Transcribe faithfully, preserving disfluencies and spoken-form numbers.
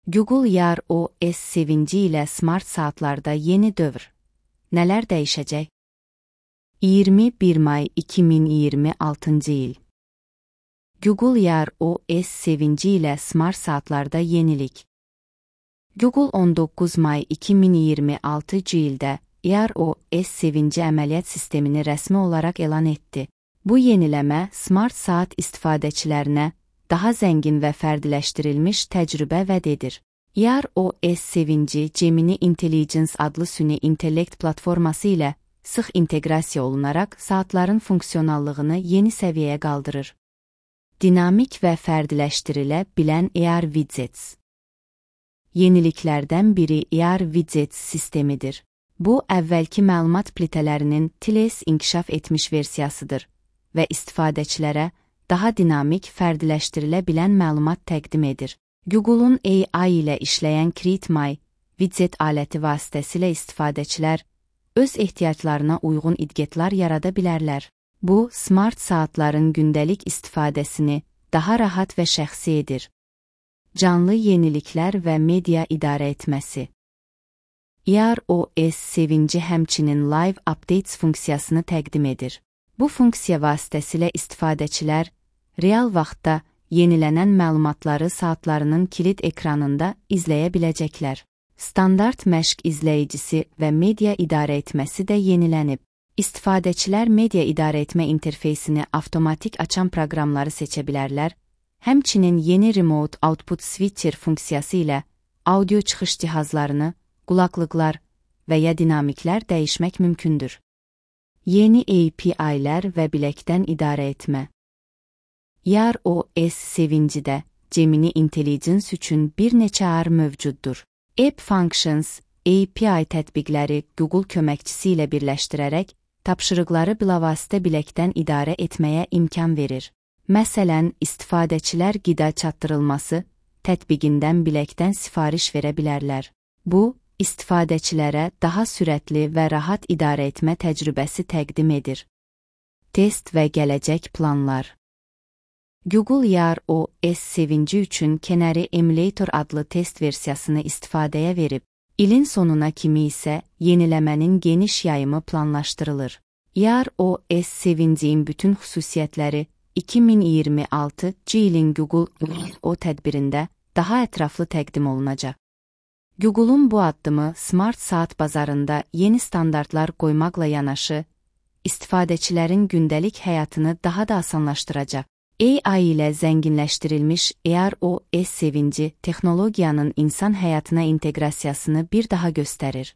Google Yar O S sevinci ilə smart saatlarda yeni dövr. Nələr dəyişəcək? iyirmi bir may iki min iyirmi altıncı il. Google Yar O S sevinci ilə smart saatlarda yenilik. Google on doqquz may iki min iyirmi altıncı ildə Yar O S sevinci əməliyyat sistemini rəsmi olaraq elan etdi. Bu yeniləmə smart saat istifadəçilərinə daha zəngin və fərdiləşdirilmiş təcrübə vəd edir. Yar O S sevinci Gemini Intelligence adlı süni intellekt platforması ilə sıx inteqrasiya olunaraq saatların funksionallığını yeni səviyyəyə qaldırır. Dinamik və fərdiləşdirilə bilən A R Widgets. Yeniliklərdən biri A R Widgets sistemidir. Bu, əvvəlki məlumat plitələrinin T L S inkişaf etmiş versiyasıdır və istifadəçilərə daha dinamik, fərdiləşdirilə bilən məlumat təqdim edir. Google'un A I ilə işləyən Create My Widget aləti vasitəsilə istifadəçilər öz ehtiyaclarına uyğun idgetlər yarada bilərlər. Bu, smart saatların gündəlik istifadəsini daha rahat və şəxsi edir. Canlı yeniliklər və media idarə etməsi. Yar O S sevinci həmçinin Live Updates funksiyasını təqdim edir. Bu funksiya vasitəsilə istifadəçilər real vaxtda yenilənən məlumatları saatlarının kilit ekranında izləyə biləcəklər. Standart məşq izləyicisi və media idarə etməsi də yenilənib. İstifadəçilər media idarə etmə interfeysini avtomatik açan proqramları seçə bilərlər, həmçinin yeni Remote Output Switcher funksiyası ilə audio çıxış cihazlarını, qulaqlıqlar və ya dinamiklər dəyişmək mümkündür. Yeni A P I-lər və biləkdən idarə etmə. Yar O S sevincidə Gemini Intelligence üçün bir neçə A R mövcuddur. App Functions, A P I tətbiqləri Google köməkçisi ilə birləşdirərək tapşırıqları bilavasitə biləkdən idarə etməyə imkan verir. Məsələn, istifadəçilər qida çatdırılması tətbiqindən biləkdən sifariş verə bilərlər. Bu, istifadəçilərə daha sürətli və rahat idarə etmə təcrübəsi təqdim edir. Test və gələcək planlar. Google Yar O S sevinci üçün Canary Emulator adlı test versiyasını istifadəyə verib. İlin sonuna kimi isə yeniləmənin geniş yayımı planlaşdırılır. Yar O S sevincinin bütün xüsusiyyətləri iki min iyirmi altıncı ilin Google O tədbirində daha ətraflı təqdim olunacaq. Google'un bu addımı smart saat bazarında yeni standartlar qoymaqla yanaşı, istifadəçilərin gündəlik həyatını daha da asanlaşdıracaq. A I ilə zənginləşdirilmiş Yar O S sevinci texnologiyanın insan həyatına inteqrasiyasını bir daha göstərir.